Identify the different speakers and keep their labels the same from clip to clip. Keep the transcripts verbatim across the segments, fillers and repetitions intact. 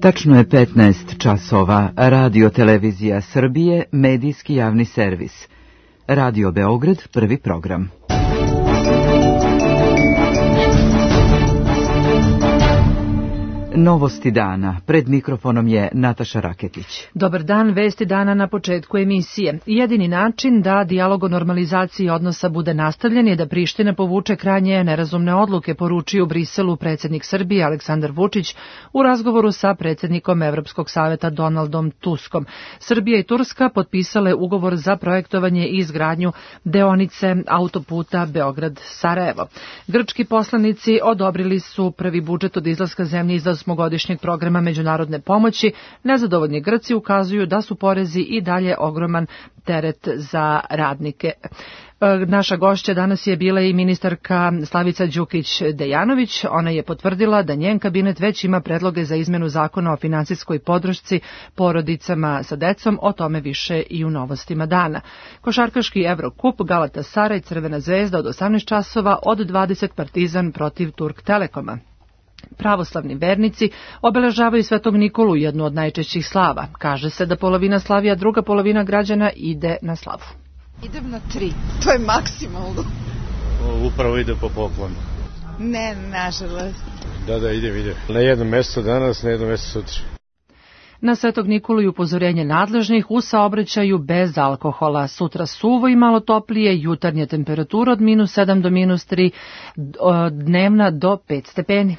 Speaker 1: Tačno je petnaest časova. Radio Televizija Srbije, medijski javni servis. Radio Beograd, prvi program. Novosti dana. Pred mikrofonom je Nataša Raketić.
Speaker 2: Dobar dan, vesti dana na početku emisije. Jedini način da dijalog o normalizaciji odnosa bude nastavljen je da Priština povuče krajnje nerazumne odluke, poručio u Briselu predsjednik Srbije Aleksandar Vučić u razgovoru sa predsjednikom Evropskog saveta Donaldom Tuskom. Srbija i Turska potpisale ugovor za projektovanje i izgradnju deonice autoputa Beograd-Sarajevo. Grčki poslanici odobrili su prvi budžet od izlaska zemlje iz osmogodišnjeg programa međunarodne pomoći. Nezadovoljni Grci ukazuju da su porezi i dalje ogroman teret za radnike. Naša gošća danas je bila i ministarka Slavica Đukić-Dejanović. Ona je potvrdila da njen kabinet već ima predloge za izmenu zakona o finansijskoj podršci porodicama sa decom. O tome više i u novostima dana. Košarkaški Evrokup, Galatasaray, Crvena zvezda od osamnaest časova, od dvadeset Partizan protiv Turk Telekoma. Pravoslavni vernici obeležavaju Svetog Nikolu, jednu od najčešćih slava. Kaže se da polovina slavi, a druga polovina građana ide na slavu.
Speaker 3: Idem na tri, to je maksimalno.
Speaker 4: O, upravo ide po poklonu.
Speaker 3: Ne, nažalost.
Speaker 4: Da, da, idem, idem. Na jedno mesto danas, na jedno mesto sutra.
Speaker 2: Na Svetog Nikolu i upozorenje nadležnih u saobraćaju bez alkohola. Sutra suvo i malo toplije, jutarnja temperatura od minus sedam do minus tri, dnevna do pet stepeni.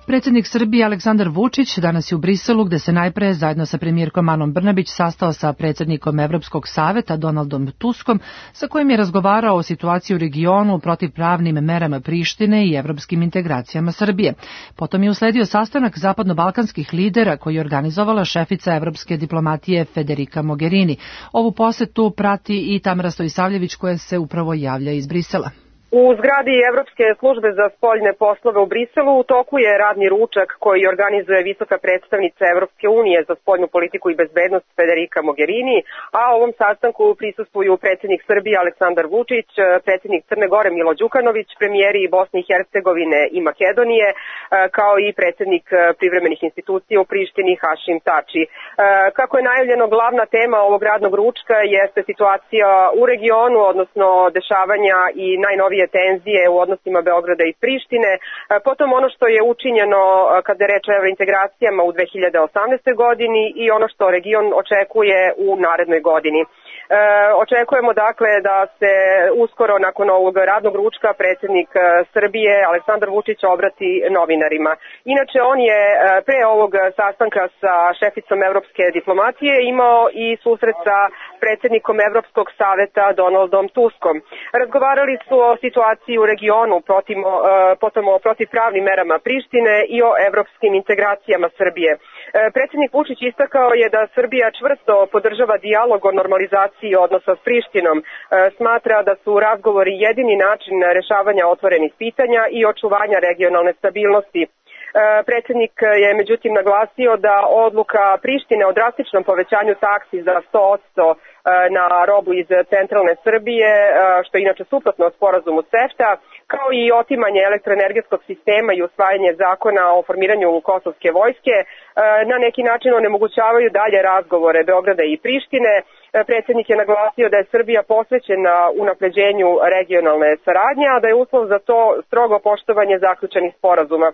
Speaker 2: Predsjednik Srbije Aleksandar Vučić danas je u Briselu, gde se najpre zajedno sa premijerkom Anom Brnabić sastao sa predsjednikom Evropskog saveta Donaldom Tuskom, sa kojim je razgovarao o situaciji u regionu, protivpravnim merama Prištine i evropskim integracijama Srbije. Potom je usledio sastanak zapadno-balkanskih lidera koji je organizovala šefica evropske diplomatije Federica Mogherini. Ovu posetu prati i Tamara Stojisavljević, koja se upravo javlja iz Brisela.
Speaker 5: U zgradi Evropske službe za spoljne poslove u Briselu u toku je radni ručak koji organizuje visoka predstavnica Evropske unije za spoljnu politiku i bezbednost Federica Mogherini, a ovom sastanku prisustvuju predsjednik Srbije Aleksandar Vučić, predsjednik Crne Gore Milo Đukanović, premijeri Bosne i Hercegovine i Makedonije, kao i predsjednik privremenih institucija u Prištini Hašim Tači. Kako je najavljeno, glavna tema ovog radnog ručka jeste situacija u regionu, odnosno dešavanja i najnovije tenzije u odnosima Beograda i Prištine, potom ono što je učinjeno kada je reč o evrointegracijama u dve hiljade osamnaestoj godini i ono što region očekuje u narednoj godini. E, očekujemo dakle da se uskoro nakon ovog radnog ručka predsjednik Srbije Aleksandar Vučić obrati novinarima. Inače, on je pre ovog sastanka sa šeficom evropske diplomatije imao i susret sa predsjednikom Evropskog saveta Donaldom Tuskom. Razgovarali su o situaciji u regionu, protiv, potom o protivpravnim merama Prištine i o evropskim integracijama Srbije. Predsjednik Vučić istakao je da Srbija čvrsto podržava dijalog o normalizaciji odnosa s Prištinom. Smatra da su razgovori jedini način rešavanja otvorenih pitanja i očuvanja regionalne stabilnosti. Predsjednik je međutim naglasio da odluka Prištine o drastičnom povećanju taksi za sto posto na robu iz centralne Srbije, što je inače suprotno sporazumu CEFTA, kao i otimanje elektroenergetskog sistema i usvajanje zakona o formiranju kosovske vojske, na neki način onemogućavaju dalje razgovore Beograda i Prištine. Predsjednik je naglasio da je Srbija posvećena unapređenju regionalne saradnje, a da je uslov za to strogo poštovanje zaključenih sporazuma.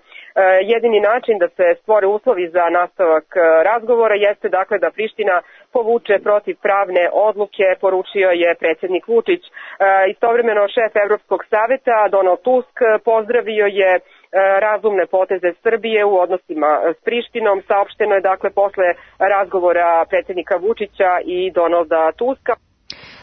Speaker 5: Jedini način da se stvore uslovi za nastavak razgovora jeste dakle da Priština povuče protivpravne odluke, poručio je predsjednik Vučić. Istovremeno šef Evropskog saveta Donald Tusk pozdravio je razumne poteze Srbije u odnosima s Prištinom. Saopšteno je dakle posle razgovora predsjednika Vučića i Donalda Tuska.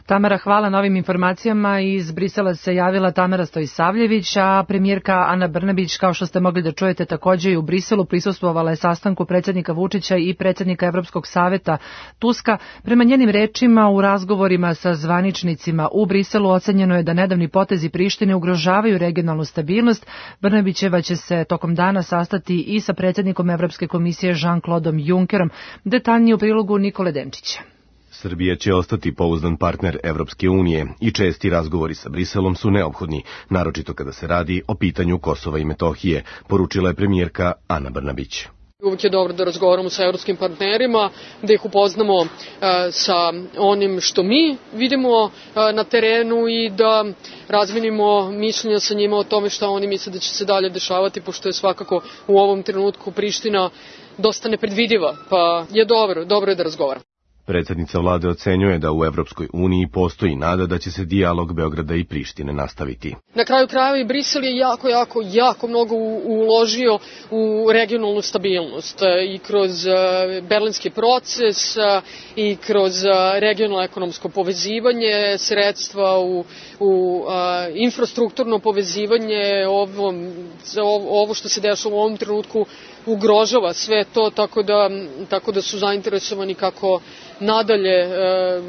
Speaker 2: Tamara, hvala na ovim informacijama. Iz Brisela se javila Tamara Stojisavljević, a premijerka Ana Brnabić, kao što ste mogli da čujete, također i u Briselu prisustvovala je sastanku predsjednika Vučića i predsjednika Evropskog saveta Tuska. Prema njenim rečima, u razgovorima sa zvaničnicima u Briselu ocenjeno je da nedavni potezi Prištine ugrožavaju regionalnu stabilnost. Brnabićeva će se tokom dana sastati i sa predsjednikom Evropske komisije Jean-Claudeom Junckerom. Detaljnije u prilogu Nikole Denčića.
Speaker 6: Srbija će ostati pouzdan partner Evropske unije i česti razgovori sa Briselom su neophodni, naročito kada se radi o pitanju Kosova i Metohije, poručila je premijerka Ana Brnabić.
Speaker 7: Uvijek je dobro da razgovaramo sa evropskim partnerima, da ih upoznamo e, sa onim što mi vidimo e, na terenu i da razmenimo mišljenja sa njima o tome šta oni misle da će se dalje dešavati, pošto je svakako u ovom trenutku Priština dosta nepredvidiva, pa je dobro, dobro je da razgovaramo.
Speaker 6: Predsjednica vlade ocenjuje da u Evropskoj uniji postoji nada da će se dijalog Beograda i Prištine nastaviti.
Speaker 7: Na kraju krajeva i Brisel je jako, jako, jako mnogo uložio u regionalnu stabilnost i kroz berlinski proces i kroz regionalno ekonomsko povezivanje, sredstva u, u infrastrukturno povezivanje, ovo, ovo što se dešava u ovom trenutku ugrožava sve to, tako da, tako da su zainteresovani kako nadalje e,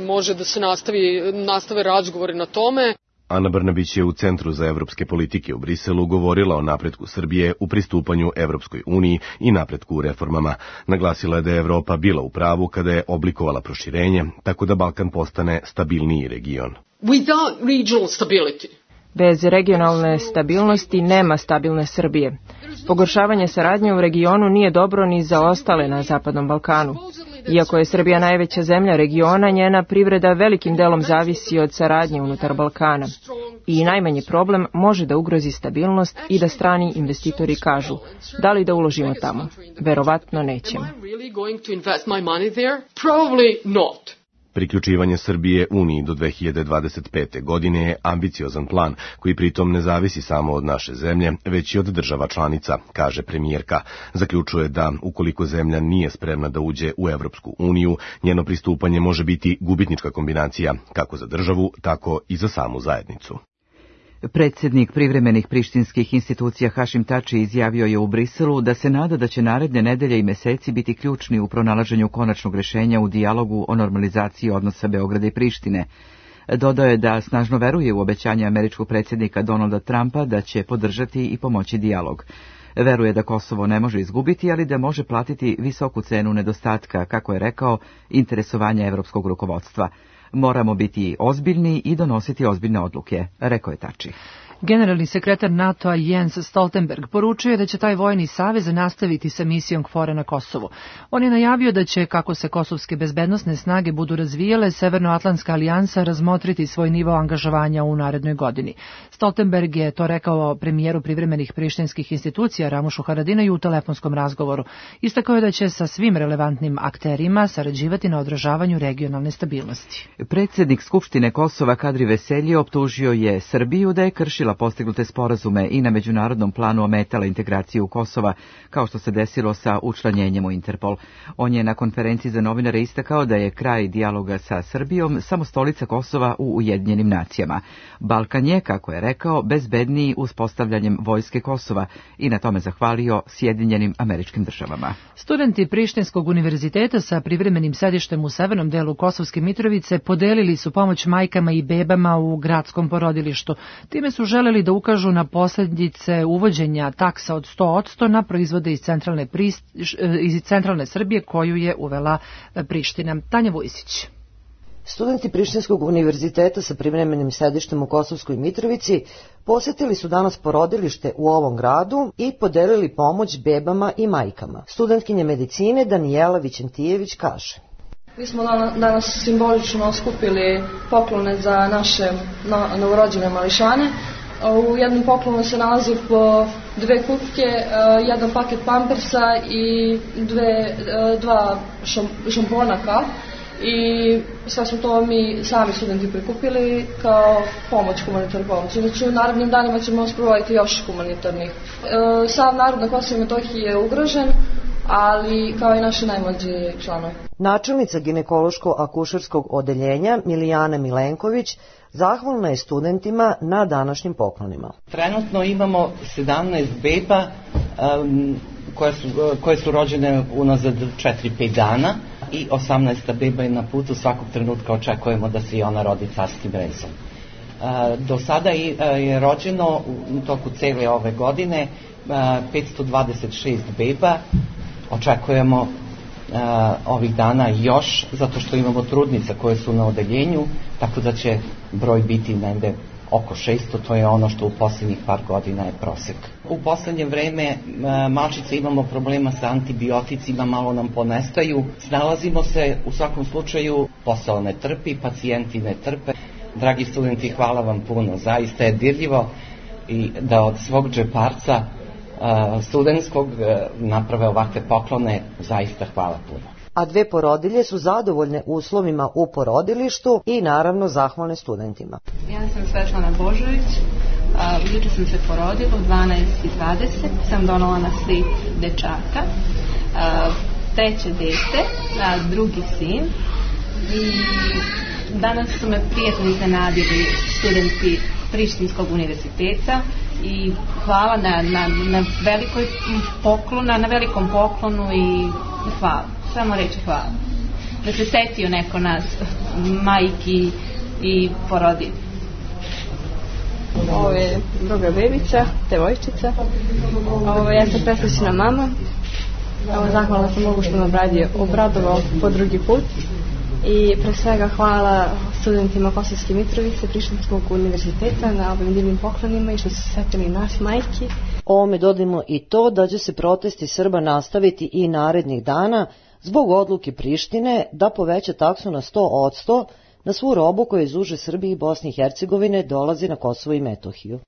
Speaker 7: može da se nastavi, nastave razgovori na tome.
Speaker 6: Ana Brnabić je u Centru za evropske politike u Briselu govorila o napretku Srbije u pristupanju Evropskoj uniji i napretku u reformama. Naglasila je da je Evropa bila u pravu kada je oblikovala proširenje, tako da Balkan postane stabilniji region.
Speaker 7: Without regional stability.
Speaker 8: Bez regionalne stabilnosti nema stabilne Srbije. Pogoršavanje saradnje u regionu nije dobro ni za ostale na Zapadnom Balkanu. Iako je Srbija najveća zemlja regiona, njena privreda velikim delom zavisi od saradnje unutar Balkana. I najmanji problem može da ugrozi stabilnost i da strani investitori kažu, da li da uložimo tamo? Verovatno nećemo.
Speaker 6: Priključivanje Srbije Uniji do dve hiljade dvadeset pete. godine je ambiciozan plan koji pritom ne zavisi samo od naše zemlje, već i od država članica, kaže premijerka. Zaključuje da ukoliko zemlja nije spremna da uđe u Evropsku uniju, njeno pristupanje može biti gubitnička kombinacija kako za državu, tako i za samu zajednicu.
Speaker 1: Predsjednik privremenih prištinskih institucija Hašim Tači izjavio je u Briselu da se nada da će naredne nedelje i meseci biti ključni u pronalaženju konačnog rješenja u dijalogu o normalizaciji odnosa Beograda i Prištine. Dodao je da snažno veruje u obećanje američkog predsjednika Donalda Trumpa da će podržati i pomoći dijalog. Veruje da Kosovo ne može izgubiti, ali da može platiti visoku cenu nedostatka, kako je rekao, interesovanja evropskog rukovodstva. Moramo biti ozbiljni i donositi ozbiljne odluke, rekao je Tači.
Speaker 2: Generalni sekretar NATO-a Jens Stoltenberg poručuje da će taj vojni savez nastaviti sa misijom KFOR-a na Kosovu. On je najavio da će, kako se kosovske bezbednosne snage budu razvijale, Severnoatlantska alijansa razmotriti svoj nivo angažovanja u narednoj godini. Stoltenberg je to rekao premijeru privremenih prištinskih institucija Ramušu Haradinaju u telefonskom razgovoru. Istakao je da će sa svim relevantnim akterima sarađivati na odražavanju regionalne stabilnosti.
Speaker 1: Predsjednik Skupštine Kosova Kadri Veselji optužio je Srbiju da je kršila postignute sporazume i na međunarodnom planu ometala integraciju Kosova, kao što se desilo sa učlanjenjem u Interpol. On je na konferenciji za novinare istakao da je kraj dijaloga sa Srbijom samo stolica Kosova u Ujedinjenim nacijama. Balkan je, kako je rekao, bezbedniji uspostavljanjem vojske Kosova i na tome zahvalio Sjedinjenim Američkim Državama.
Speaker 2: Studenti Prištinskog univerziteta sa privremenim sedištem u severnom delu Kosovske Mitrovice podelili su pomoć majkama i bebama u gradskom porodilištu. Time su želeli da ukažu na posljedice uvođenja taksa od sto posto na proizvode iz centralne, prist, iz centralne Srbije koju je uvela Priština. Tanja Vujsić.
Speaker 9: Studenti Prištinskog univerziteta sa privremenim sedištem u Kosovskoj Mitrovici posjetili su danas porodilište u ovom gradu i podelili pomoć bebama i majkama. Studentkinja medicine Danijela Vićentijević kaže:
Speaker 10: Mi smo danas simbolično skupili poklone za naše novorođene mališane. U jednom poklonu se nalazi po dve kupke, jedan paket pampersa i dve, dva šamponaka. I sve smo to mi sami studenti prikupili kao pomoć, humanitarnu pomoć. Znači u narednim danima ćemo sprovoditi još humanitarnih. Sav narod na Kosovu i Metohiji je ugrožen, ali kao i naši najmlađi članovi.
Speaker 9: Načelnica ginekološko-akušerskog odeljenja Milijana Milenković zahvalna je studentima na današnjim poklonima.
Speaker 11: Trenutno imamo sedamnaest beba um, koje, su, koje su rođene unazad četiri do pet dana i osamnaesta beba je na putu, svakog trenutka očekujemo da se i ona rodi carskim rezom. Uh, do sada je, je rođeno u toku cele ove godine uh, petsto dvadeset šest beba, očekujemo ovih dana još, zato što imamo trudnica koje su na odeljenju, tako da će broj biti negde oko šesto, to je ono što u posljednjih par godina je prosek. U poslednje vreme malčice imamo problema sa antibioticima, malo nam ponestaju. Snalazimo se, u svakom slučaju, posao ne trpi, pacijenti ne trpe. Dragi studenti, hvala vam puno, zaista je dirljivo i da od svog džeparca studentskog naprave ovakve poklone, zaista hvala puno.
Speaker 9: A dve porodilje su zadovoljne uslovima u porodilištu i naravno zahvalne studentima.
Speaker 12: Ja sam Svetlana Božović, juče sam se porodila u dvanaest i dvadeset, sam donala na slit dečaka, treće dete, drugi sin i danas su me prijatno iznenadili studenti Prištinskog univerziteta i hvala na, na, na, velikoj poklonu, na velikom poklonu i hvala. Samo reći hvala. Da se setio neko nas, majki i porodilje.
Speaker 10: Ovo je druga bebica, devojčica. Ovo ja sam presrećna mama. Ovo zahvalna sam Bogu što me obradio, obradovao po drugi put. I pre svega hvala studentima Kosovske Mitrovice, Prištinskog univerziteta na ovim divnim poklonima i što su setili nas majki.
Speaker 9: Ovome dodajmo i to da će se protesti Srba nastaviti i narednih dana zbog odluke Prištine da poveća taksu na sto odsto na svu robu koja iz uže Srbije i Bosne i Hercegovine dolazi na Kosovo i Metohiju.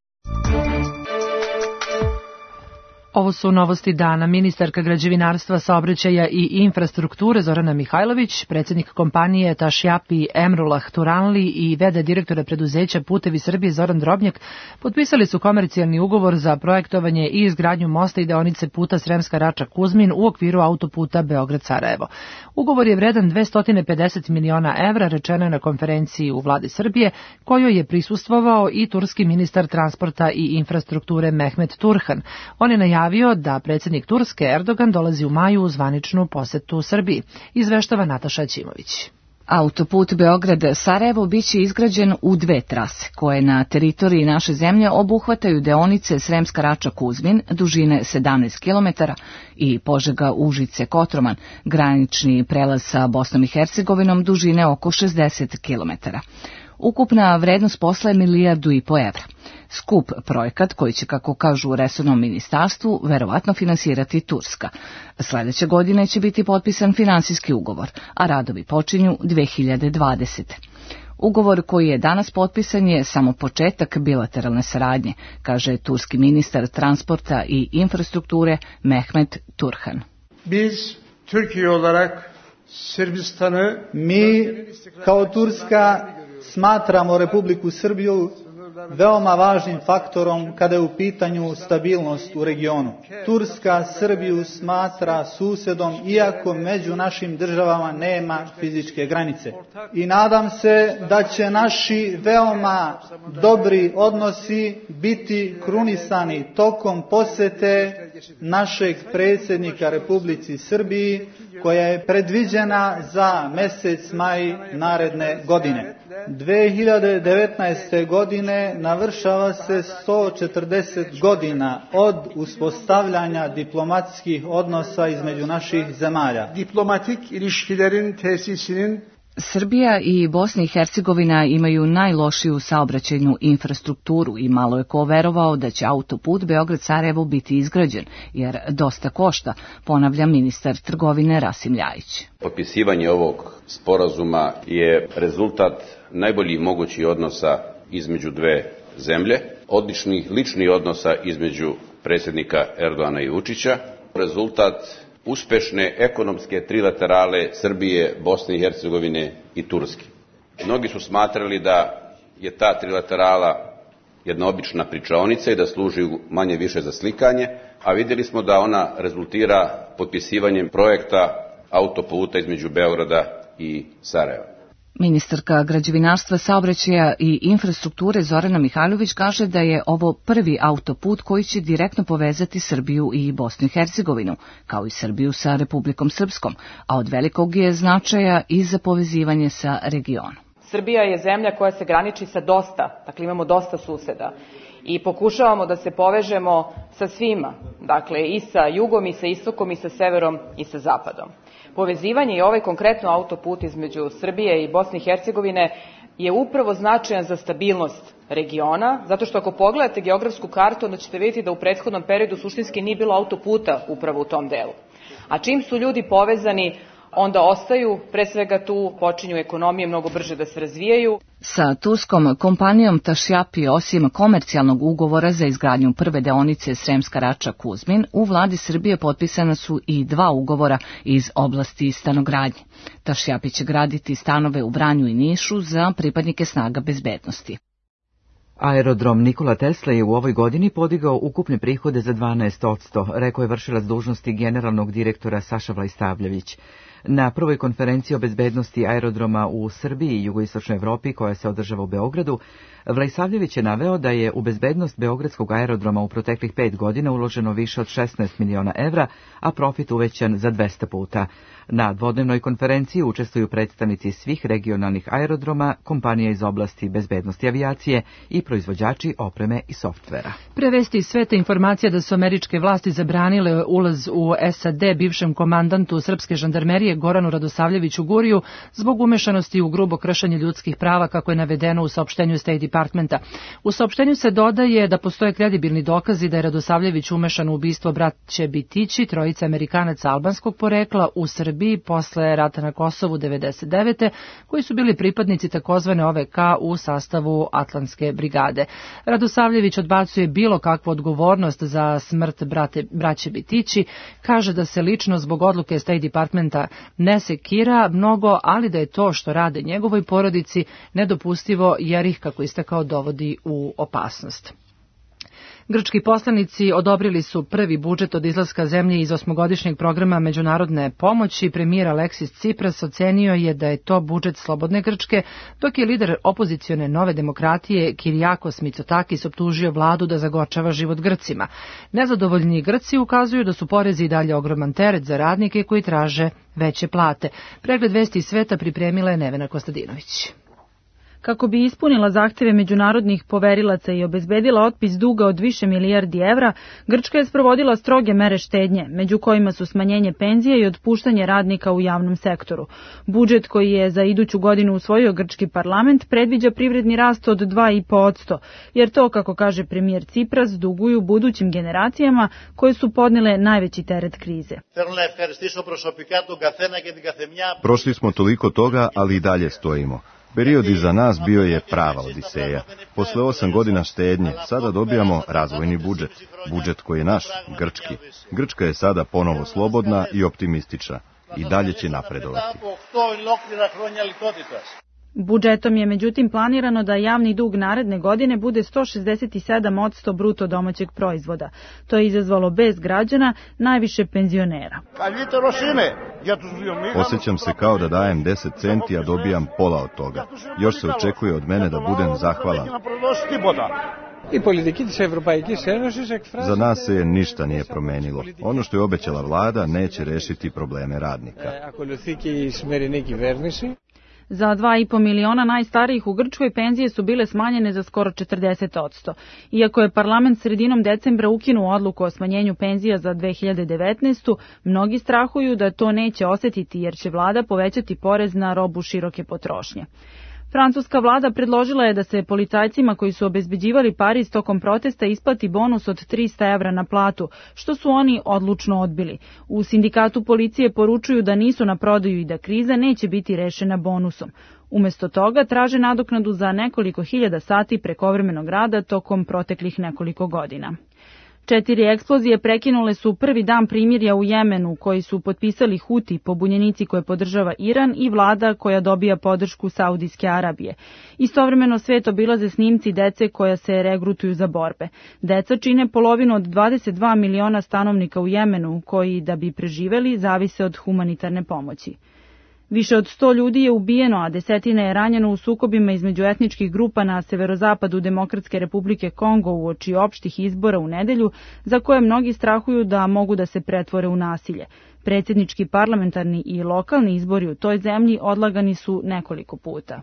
Speaker 2: Ovo su novosti dana. Ministarka građevinarstva, saobraćaja i infrastrukture Zorana Mihajlović, predsjednik kompanije Tašjapi Emrullah Turanli i v d direktora preduzeća Putevi Srbije Zoran Drobnjak potpisali su komercijalni ugovor za projektovanje i izgradnju mosta i deonice puta Sremska Rača-Kuzmin u okviru autoputa Beograd-Sarajevo. Ugovor je vredan dvesta pedeset miliona evra, rečeno je na konferenciji u vladi Srbije, kojoj je prisustvovao i turski ministar transporta i infrastrukture Mehmet Turhan. On je najavio da predsjednik Turske Erdogan dolazi u maju u zvaničnu posetu Srbiji. Izveštava Nataša Ćimović.
Speaker 13: Autoput Beograd-Sarajevo biće izgrađen u dve trase, koje na teritoriji naše zemlje obuhvataju deonice Sremska Rača-Kuzmin, dužine sedamnaest kilometara, i Požega-Užice-Kotroman, granični prelaz sa Bosnom i Hercegovinom, dužine oko šezdeset kilometara. Ukupna vrednost posla je milijardu i po evra. Skup projekat, koji će, kako kažu u resornom ministarstvu, verovatno finansirati Turska. Sledeće godine će biti potpisan finansijski ugovor, a radovi počinju dve hiljade dvadesete. Ugovor koji je danas potpisan je samo početak bilateralne saradnje, kaže turski ministar transporta i infrastrukture Mehmet Turhan.
Speaker 14: Biz Türkiye olarak Sırbistan'ı, mi kao Turska smatramo Republiku Srbiju veoma važnim faktorom kada je u pitanju stabilnost u regionu. Turska Srbiju smatra susedom, iako među našim državama nema fizičke granice. I nadam se da će naši veoma dobri odnosi biti krunisani tokom posete našeg predsjednika Republici Srbiji, koja je predviđena za mesec maj naredne godine. dve hiljade devetnaeste. godine navršava se sto četrdeset godina od uspostavljanja diplomatskih odnosa između naših zemalja. Diplomatik ilişkilerin tesisinin
Speaker 13: Srbija i Bosna i Hercegovina imaju najlošiju saobraćajnu infrastrukturu i malo je ko verovao da će autoput Beograd-Sarajevo biti izgrađen, jer dosta košta, ponavlja ministar trgovine Rasim Ljajić.
Speaker 15: Potpisivanje ovog sporazuma je rezultat najboljih mogućih odnosa između dve zemlje, odličnih ličnih odnosa između predsjednika Erdogana i Vučića, rezultat uspešne ekonomske trilaterale Srbije, Bosne i Hercegovine i Turske. Mnogi su smatrali da je ta trilaterala jedna obična pričaonica i da služi manje više za slikanje, a vidjeli smo da ona rezultira potpisivanjem projekta autoputa između Beograda i Sarajeva.
Speaker 13: Ministarka građevinarstva, saobraćaja i infrastrukture Zorana Mihajlović kaže da je ovo prvi autoput koji će direktno povezati Srbiju i Bosnu i Hercegovinu, kao i Srbiju sa Republikom Srpskom, a od velikog je značaja i za povezivanje sa regionom.
Speaker 16: Srbija je zemlja koja se graniči sa dosta, dakle imamo dosta suseda i pokušavamo da se povežemo sa svima. dakle i sa jugom, i sa istokom, i sa severom, i sa zapadom. Povezivanje i ovaj konkretno autoput između Srbije i Bosne i Hercegovine je upravo značajan za stabilnost regiona, zato što ako pogledate geografsku kartu, onda ćete vidjeti da u prethodnom periodu suštinski nije bilo autoputa upravo u tom delu. A čim su ljudi povezani, onda ostaju, pre svega tu počinju ekonomije mnogo brže da se razvijaju.
Speaker 13: Sa turskom kompanijom Tašjapi, osim komercijalnog ugovora za izgradnju prve deonice Sremska Rača-Kuzmin, u vladi Srbije potpisana su i dva ugovora iz oblasti stanogradnje. Tašjapi će graditi stanove u Vranju i Nišu za pripadnike snaga bezbednosti.
Speaker 1: Aerodrom Nikola Tesla je u ovoj godini podigao ukupne prihode za dvanaest posto, rekao je vršilac dužnosti generalnog direktora Saša Vlajstavljević. Na prvoj konferenciji o bezbednosti aerodroma u Srbiji i jugoistočnoj Evropi, koja se održava u Beogradu, Vlajstavljević je naveo da je u bezbednost Beogradskog aerodroma u proteklih pet godina uloženo više od šesnaest miliona evra, a profit uvećan za dvesta puta. Na dvodnevnoj konferenciji učestvuju predstavnici svih regionalnih aerodroma, kompanija iz oblasti bezbednosti avijacije i proizvođači opreme i softvera.
Speaker 2: Prevesti iz sveta informacija da su američke vlasti zabranile ulaz u S A D bivšem komandantu srpske žandarmerije Goranu Radosavljeviću Guriju zbog umešanosti u grubo kršenje ljudskih prava, kako je navedeno u saopštenju State Departmenta. U saopštenju se dodaje da postoje kredibilni dokazi da je Radosavljević umešan u ubistvo braće Bitići, trojice Amerikanaca albanskog porekla u Srbiji posle rata na Kosovu devedeset devete koji su bili pripadnici takozvane O V K u sastavu Atlantske brigade. Radosavljević odbacuje bilo kakvu odgovornost za smrt brate, braće Bitići, kaže da se lično zbog odluke State Departmenta ne sekira mnogo, ali da je to što rade njegovoj porodici nedopustivo jer ih, kako istakao, dovodi u opasnost. Grčki poslanici odobrili su prvi budžet od izlaska zemlje iz osmogodišnjeg programa međunarodne pomoći. Premijer Aleksis Cipras ocenio je da je to budžet slobodne Grčke, dok je lider opozicione Nove demokratije Kirijakos Mitsotakis optužio vladu da zagorčava život Grcima. Nezadovoljni Grci ukazuju da su porezi i dalje ogroman teret za radnike koji traže veće plate. Pregled vesti iz sveta pripremila je Nevena Kostadinović.
Speaker 17: Kako bi ispunila zahteve međunarodnih poverilaca i obezbedila otpis duga od više milijardi evra, Grčka je sprovodila stroge mere štednje, među kojima su smanjenje penzija i otpuštanje radnika u javnom sektoru. Budžet koji je za iduću godinu usvojio grčki parlament predviđa privredni rast od dva i po posto, jer to, kako kaže premijer Cipras, duguju budućim generacijama koje su podnele najveći teret krize.
Speaker 18: Prošli smo toliko toga, ali i dalje stojimo. Period iza nas bio je prava odiseja. Posle osam godina štednje, sada dobijamo razvojni budžet. Budžet koji je naš, grčki. Grčka je sada ponovo slobodna i optimistična. I dalje će napredovati.
Speaker 17: Budžetom je međutim planirano da javni dug naredne godine bude sto šezdeset sedam posto bruto domaćeg proizvoda. To je izazvalo bes građana, najviše penzionera.
Speaker 18: Osjećam se kao da dajem deset centi, a dobijam pola od toga. Još se očekuje od mene da budem zahvalan. Za nas se ništa nije promenilo. Ono što je obećala vlada neće rešiti probleme radnika.
Speaker 17: Za dva i po miliona najstarijih u Grčkoj penzije su bile smanjene za skoro četrdeset posto. Iako je parlament sredinom decembra ukinuo odluku o smanjenju penzija za dve hiljade devetnaestu. mnogi strahuju da to neće osetiti jer će vlada povećati porez na robu široke potrošnje. Francuska vlada predložila je da se policajcima koji su obezbeđivali Pariz tokom protesta isplati bonus od trista evra na platu, što su oni odlučno odbili. U sindikatu policije poručuju da nisu na prodaju i da kriza neće biti rešena bonusom. Umesto toga traže nadoknadu za nekoliko hiljada sati prekovremenog rada tokom proteklih nekoliko godina. Četiri eksplozije prekinule su prvi dan primirja u Jemenu, koji su potpisali Huti, pobunjenici koje podržava Iran, i vlada koja dobija podršku Saudijske Arabije. Istovremeno svet obilaze snimci dece koja se regrutuju za borbe. Deca čine polovinu od dvadeset dva miliona stanovnika u Jemenu, koji, da bi preživeli, zavise od humanitarne pomoći. Više od sto ljudi je ubijeno, a desetina je ranjeno u sukobima između etničkih grupa na severozapadu Demokratske Republike Kongo uoči opštih izbora u nedelju, za koje mnogi strahuju da mogu da se pretvore u nasilje. Predsjednički, parlamentarni i lokalni izbori u toj zemlji odlagani su nekoliko puta.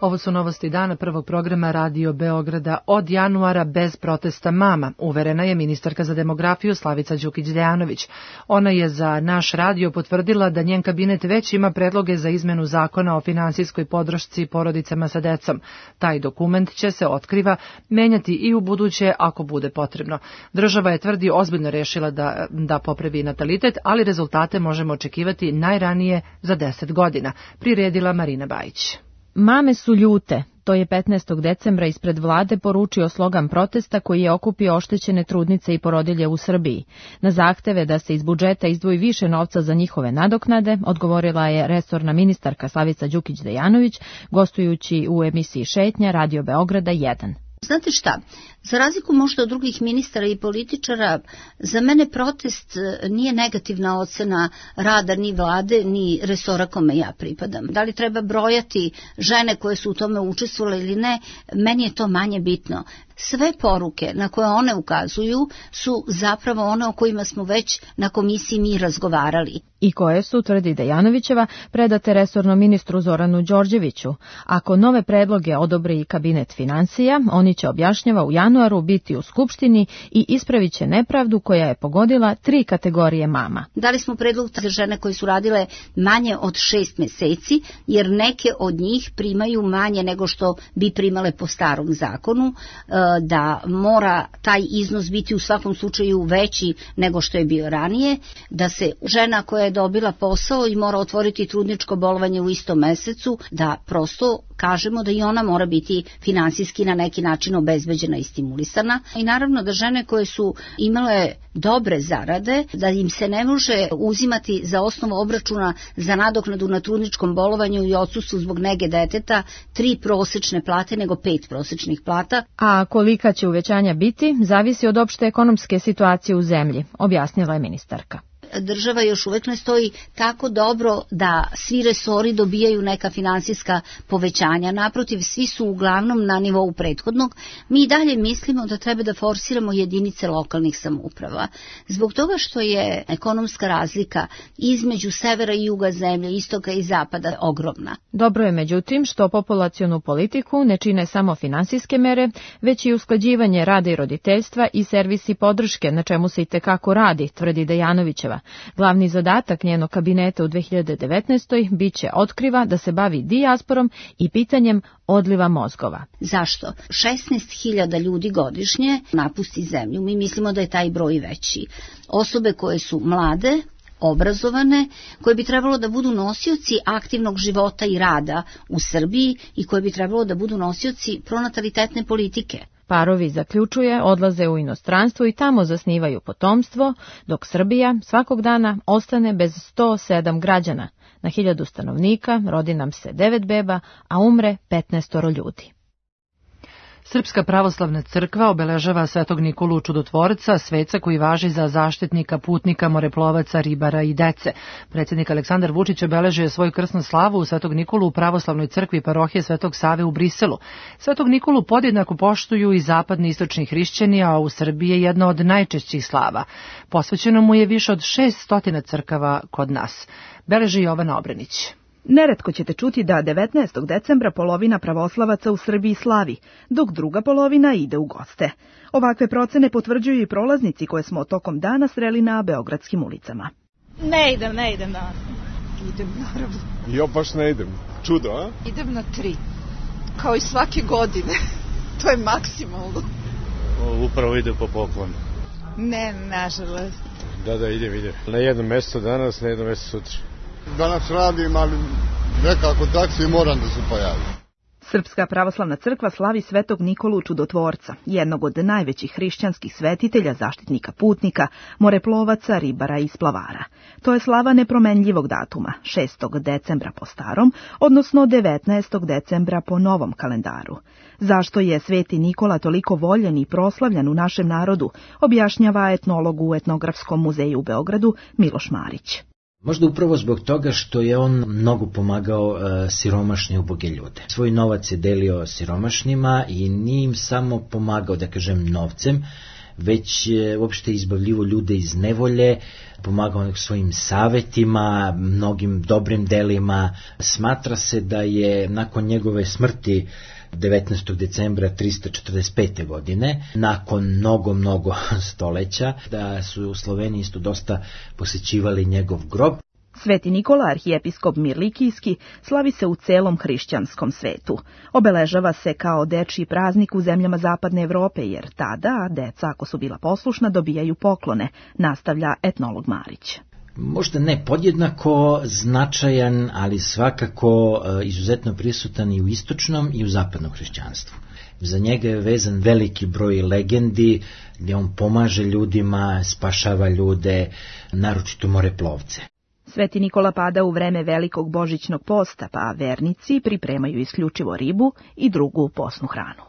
Speaker 2: Ovo su novosti dana prvog programa Radio Beograda. Od januara bez protesta mama, uverena je ministarka za demografiju Slavica Đukić-Dejanović. Ona je za naš radio potvrdila da njen kabinet već ima predloge za izmenu zakona o finansijskoj podršci porodicama sa decom. Taj dokument će se, otkriva, menjati i u buduće ako bude potrebno. Država je, tvrdi, ozbiljno rešila da, da popravi natalitet, ali rezultate možemo očekivati najranije za deset godina, priredila Marina Bajić.
Speaker 19: Mame su ljute, to je petnaestog decembra ispred vlade poručio slogan protesta koji je okupio oštećene trudnice i porodilje u Srbiji. Na zahteve da se iz budžeta izdvoji više novca za njihove nadoknade, odgovorila je resorna ministarka Slavica Đukić-Dejanović, gostujući u emisiji Šetnja Radio Beograda jedan.
Speaker 20: Znate šta, za razliku možda od drugih ministara i političara, za mene protest nije negativna ocena rada ni vlade, ni resora kome ja pripadam. Da li treba brojati žene koje su u tome učestvovale ili ne, meni je to manje bitno. Sve poruke na koje one ukazuju su zapravo one o kojima smo već na komisiji mi razgovarali.
Speaker 19: I koje su, tvrdi Dejanovićeva, predate resornom ministru Zoranu Đorđeviću. Ako nove predloge odobri i kabinet financija, oni će, objašnjava, u januaru biti u Skupštini i ispravit će nepravdu koja je pogodila tri kategorije mama.
Speaker 20: Dali smo predlog za žene koje su radile manje od šest meseci, jer neke od njih primaju manje nego što bi primale po starom zakonu, da mora taj iznos biti u svakom slučaju veći nego što je bio ranije, da se žena koja je dobila posao i mora otvoriti trudničko bolovanje u istom mesecu, da prosto kažemo da i ona mora biti finansijski na neki način obezbeđena i stimulisana. I naravno da žene koje su imale dobre zarade, da im se ne može uzimati za osnovu obračuna za nadoknadu na trudničkom bolovanju i odsustvu zbog nege deteta tri prosečne plate nego pet prosečnih plata.
Speaker 19: A kolika će uvećanja biti, zavisi od opšte ekonomske situacije u zemlji, objasnila je ministarka.
Speaker 20: Država još uvek ne stoji tako dobro da svi resori dobijaju neka finansijska povećanja. Naprotiv, svi su uglavnom na nivou prethodnog. Mi dalje mislimo da treba da forsiramo jedinice lokalnih samouprava. Zbog toga što je ekonomska razlika između severa i juga zemlje, istoka i zapada ogromna.
Speaker 19: Dobro je međutim što populacionu politiku ne čine samo finansijske mere, već i usklađivanje rada i roditeljstva i servisi podrške, na čemu se i tekako radi, tvrdi Dejanovićeva. Glavni zadatak njenog kabineta u dve hiljade devetnaestoj biće, otkriva, da se bavi dijasporom i pitanjem odliva mozgova.
Speaker 20: Zašto? šesnaest hiljada ljudi godišnje napusti zemlju. Mi mislimo da je taj broj veći. Osobe koje su mlade, obrazovane, koje bi trebalo da budu nosioci aktivnog života i rada u Srbiji i koje bi trebalo da budu nosioci pronatalitetne politike.
Speaker 19: Parovi, zaključuje, odlaze u inostranstvo i tamo zasnivaju potomstvo, dok Srbija svakog dana ostane bez sto sedam građana. Na hiljadu stanovnika rodi nam se devet beba, a umre petnaestoro ljudi.
Speaker 2: Srpska pravoslavna crkva obeležava Svetog Nikolu Čudotvorca, sveca koji važi za zaštitnika putnika, moreplovaca, ribara i dece. Predsjednik Aleksandar Vučić obeležio svoju krsnu slavu u Svetog Nikolu u pravoslavnoj crkvi parohije Svetog Save u Briselu. Svetog Nikolu podjednako poštuju i zapadni istočni hrišćani, a u Srbiji je jedna od najčešćih slava. Posvećeno mu je više od šest stotina crkava kod nas. Beleži Jovana Obrenić.
Speaker 21: Neretko ćete čuti da devetnaestog decembra polovina pravoslavaca u Srbiji slavi, dok druga polovina ide u goste. Ovakve procene potvrđuju i prolaznici koje smo tokom dana sreli na beogradskim ulicama.
Speaker 3: Ne idem, ne idem danas. Idem, naravno.
Speaker 4: Ja baš ne idem. Čudo, a?
Speaker 3: Idem na tri. Kao i svake godine. To je maksimalno.
Speaker 4: O, upravo idem po poklonu.
Speaker 3: Ne, nažalost.
Speaker 4: Da, da, idem, idem. Na jedno mjesto danas, na jedno mjesto sutra.
Speaker 22: Danas radim, ali nekako taksi moram da se pojavim.
Speaker 21: Srpska pravoslavna crkva slavi Svetog Nikolu Čudotvorca, jednog od najvećih hrišćanskih svetitelja, zaštitnika putnika, moreplovaca, ribara i splavara. To je slava nepromenljivog datuma, šestog decembra po starom, odnosno devetnaestog decembra po novom kalendaru. Zašto je Sveti Nikola toliko voljen i proslavljan u našem narodu, objašnjava etnolog u Etnografskom muzeju u Beogradu Miloš Marić.
Speaker 23: Možda upravo zbog toga što je on mnogo pomagao uh, siromašne uboge ljude. Svoj novac je delio siromašnima i nije im samo pomagao, da kažem, novcem, već je uopšte izbavljivo ljude iz nevolje, pomagao svojim savetima, mnogim dobrim delima. Smatra se da je nakon njegove smrti devetnaestog decembra trista četrdeset pete. godine, nakon mnogo, mnogo stoleća, da su u Sloveniji isto dosta posećivali njegov grob.
Speaker 21: Sveti Nikola, arhijepiskop Mirlikijski, slavi se u celom hrišćanskom svetu. Obeležava se kao dečiji praznik u zemljama zapadne Evrope, jer tada deca, ako su bila poslušna, dobijaju poklone, nastavlja etnolog Marić.
Speaker 23: Možda ne podjednako značajan, ali svakako izuzetno prisutan i u istočnom i u zapadnom hrišćanstvu. Za njega je vezan veliki broj legendi, gdje on pomaže ljudima, spašava ljude, naročito moreplovce.
Speaker 21: Sveti Nikola pada u vreme velikog božićnog posta, pa vernici pripremaju isključivo ribu i drugu posnu hranu.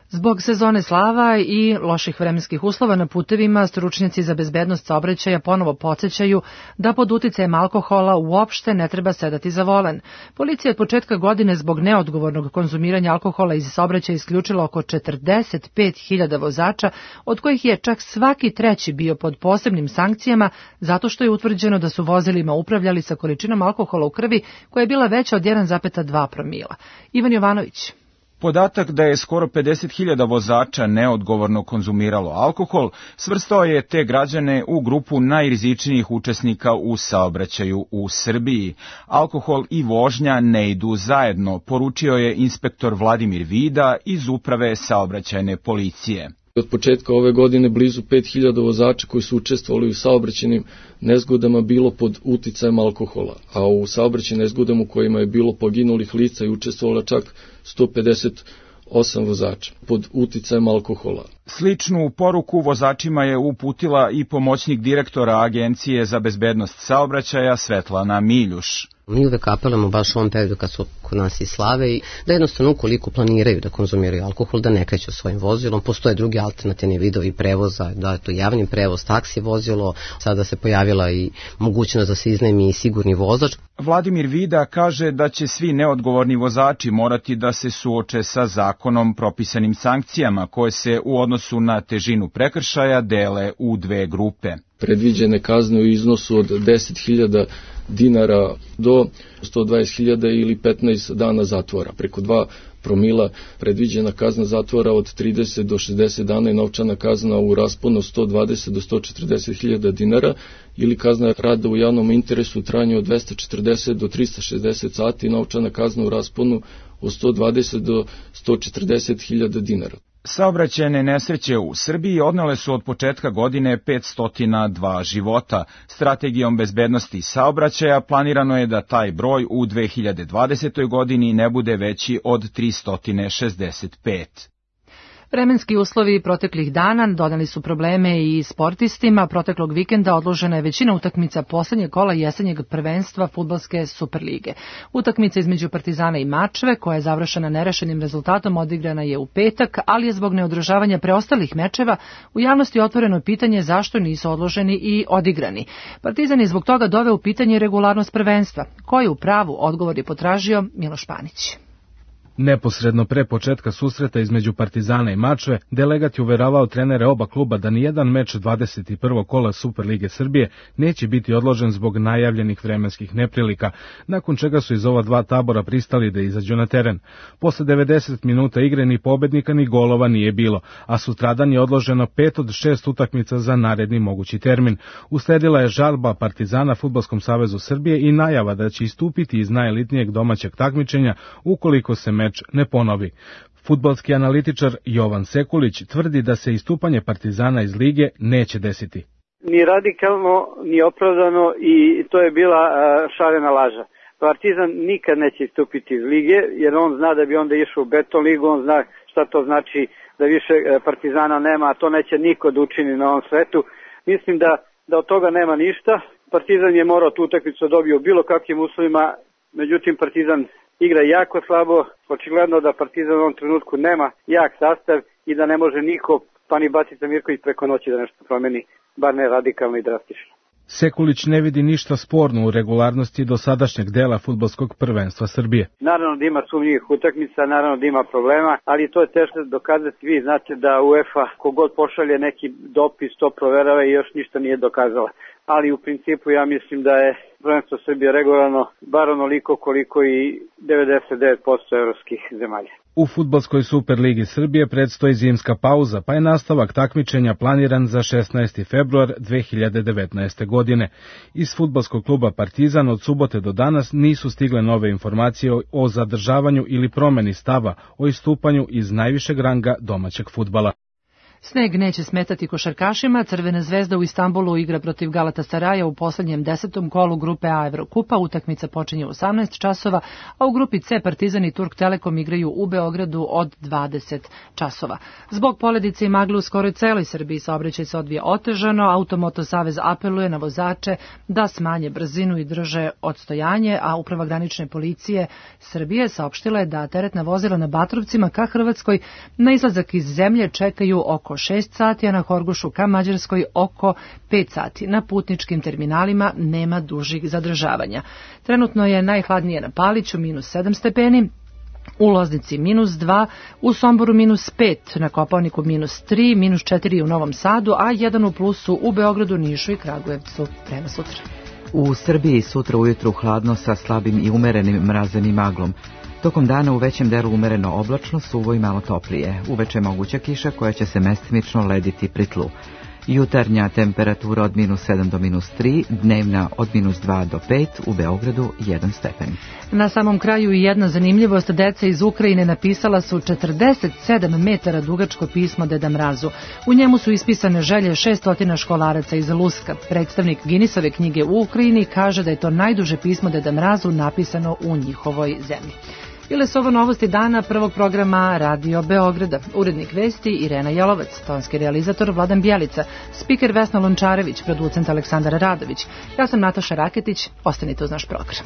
Speaker 2: Zbog sezone slava i loših vremenskih uslova na putevima, stručnjaci za bezbednost saobraćaja ponovo podsjećaju da pod uticajem alkohola uopšte ne treba sedati za volan. Policija od početka godine zbog neodgovornog konzumiranja alkohola iz saobraćaja isključila oko četrdeset pet hiljada vozača, od kojih je čak svaki treći bio pod posebnim sankcijama zato što je utvrđeno da su vozilima upravljali sa količinom alkohola u krvi koja je bila veća od jedan zarez dva promila. Ivan Jovanović.
Speaker 5: Podatak da je skoro pedeset hiljada vozača neodgovorno konzumiralo alkohol svrstao je te građane u grupu najrizičnijih učesnika u saobraćaju u Srbiji. Alkohol i vožnja ne idu zajedno, poručio je inspektor Vladimir Vida iz Uprave saobraćajne policije.
Speaker 7: Od početka ove godine blizu pet hiljada vozača koji su učestvovali u saobraćajnim nezgodama bilo pod uticajem alkohola, a u saobraćajnim nezgodama u kojima je bilo poginulih lica i učestvovalo čak sto pedeset osam vozača pod uticajem alkohola.
Speaker 5: Sličnu poruku vozačima je uputila i pomoćnik direktora Agencije za bezbednost saobraćaja Svetlana Miljuš.
Speaker 8: Mi uvek apelujemo baš u ovom periodu kad su kod nas i slave i da jednostavno ukoliko planiraju da konzumiraju alkohol, da ne kreću svojim vozilom. Postoje drugi alternativni vidovi prevoza, da je to javni prevoz, taksi vozilo, sada se pojavila i mogućnost da se iznajmi i sigurni vozač.
Speaker 5: Vladimir Vida kaže da će svi neodgovorni vozači morati da se suoče sa zakonom propisanim sankcijama koje se u odnosu na težinu prekršaja dele u dve grupe.
Speaker 7: Predviđene kazne u iznosu od deset hiljada dinara do sto dvadeset hiljada ili petnaest dana zatvora. Preko dva promila predviđena kazna zatvora od trideset do šezdeset dana i novčana kazna u rasponu sto dvadeset do sto četrdeset hiljada dinara ili kazna rada u javnom interesu u trajanju od dvesta četrdeset do trista šezdeset sati i novčana kazna u rasponu od sto dvadeset do sto četrdeset hiljada dinara.
Speaker 5: Saobraćajne nesreće u Srbiji odnele su od početka godine petsto dva života. Strategijom bezbednosti saobraćaja planirano je da taj broj u dve hiljade dvadesetoj. godini ne bude veći od tristo šezdeset pet.
Speaker 2: Vremenski uslovi proteklih dana doneli su probleme i sportistima. Proteklog vikenda odložena je većina utakmica poslednjeg kola jesenjeg prvenstva fudbalske Superlige. Utakmica između Partizana i Mačve, koja je završena nerešenim rezultatom, odigrana je u petak, ali je zbog neodržavanja preostalih mečeva u javnosti otvoreno pitanje zašto nisu odloženi i odigrani. Partizan je zbog toga doveo u pitanje regularnost prvenstva. Ko je u pravu, odgovor je potražio Miloš Panić.
Speaker 24: Neposredno pre početka susreta između Partizana i Mačve, delegat je uveravao trenere oba kluba da nijedan meč dvadeset prvog kola Superlige Srbije neće biti odložen zbog najavljenih vremenskih neprilika, nakon čega su iz ova dva tabora pristali da izađu na teren. Posle devedeset minuta igre ni pobednika ni golova nije bilo, a sutradan je odloženo pet od šest utakmica za naredni mogući termin. Usledila je žalba Partizana Fudbalskom savezu Srbije i najava da će istupiti iz najelitnijeg domaćeg takmičenja ukoliko se meč ne ponovi. Fudbalski analitičar Jovan Sekulić tvrdi da se istupanje Partizana iz lige neće desiti.
Speaker 25: Ni radikalno, ni opravdano i to je bila šarena laža. Partizan nikad neće istupiti iz lige jer on zna da bi onda išao u beton ligu, on zna šta to znači da više Partizana nema, a to neće niko da učini na ovom svetu. Mislim da, da od toga nema ništa. Partizan je morao tu utakmicu dobio u bilo kakvim uslovima, međutim Partizan igra jako slabo, očigledno da Partizan u ovom trenutku nema jak sastav i da ne može niko, pa ni Batica Mirković preko noći da nešto promeni, bar ne radikalno i drastično.
Speaker 24: Sekulić ne vidi ništa sporno u regularnosti dosadašnjeg dela fudbalskog prvenstva Srbije.
Speaker 25: Naravno da ima sumnjivih utakmica, naravno da ima problema, ali to je teško dokazati. Vi znate da UEFA kogod pošalje neki dopis to proverava i još ništa nije dokazala. Ali u principu ja mislim da je prvenstvo Srbije regularno bar onoliko koliko i devedeset devet posto evropskih zemalja.
Speaker 24: U fudbalskoj Superligi Srbije predstoji zimska pauza, pa je nastavak takmičenja planiran za šesnaesti februar dve hiljade devetnaeste. godine. Iz fudbalskog kluba Partizan od subote do danas nisu stigle nove informacije o zadržavanju ili promeni stava o istupanju iz najvišeg ranga domaćeg fudbala.
Speaker 2: Sneg neće smetati košarkašima. Crvena zvezda u Istanbulu igra protiv Galatasaraja u poslednjem desetom kolu grupe A Evrokupa. Utakmica počinje u osamnaest časova, a u grupi C Partizan i Turk Telekom igraju u Beogradu od dvadeset časova. Zbog poledice i magle u skoroj celoj Srbiji saobraćaj se odvija otežano. Automoto savez apeluje na vozače da smanje brzinu i drže odstojanje, a Uprava granične policije Srbije saopštila je da teretna vozila na Batrovcima ka Hrvatskoj na izlazak iz zemlje čekaju oko šest sati, a na Horgošu ka Mađarskoj oko pet sati. Na putničkim terminalima nema dužih zadržavanja. Trenutno je najhladnije na Paliću, minus sedam stepeni, u Loznici minus dva, u Somboru minus pet, na Kopaoniku minus tri, minus četiri u Novom Sadu, a jedan u plusu u Beogradu, Nišu i Kragujevcu. Prema sutra.
Speaker 1: U Srbiji sutra ujutru hladno sa slabim i umerenim mrazem i maglom. Tokom dana u većem delu umereno oblačno, suvo i malo toplije. Uveče moguća kiša koja će se mestimično lediti pri tlu. Jutarnja temperatura od minus sedam do minus tri, dnevna od minus dva do pet, u Beogradu jedan stepen.
Speaker 2: Na samom kraju i jedna zanimljivost, deca iz Ukrajine napisala su četrdeset sedam metara dugačko pismo Deda Mrazu. U njemu su ispisane želje šesnaest školaraca iz Luska. Predstavnik Guinnessove knjige u Ukrajini kaže da je to najduže pismo Deda Mrazu napisano u njihovoj zemlji. Bile su ovo novosti dana prvog programa Radio Beograda. Urednik vesti Irena Jelovac, tonski realizator Vladan Bjelica, spiker Vesna Lončarević, producent Aleksandar Radović. Ja sam Nataša Raketić, ostanite uz naš program.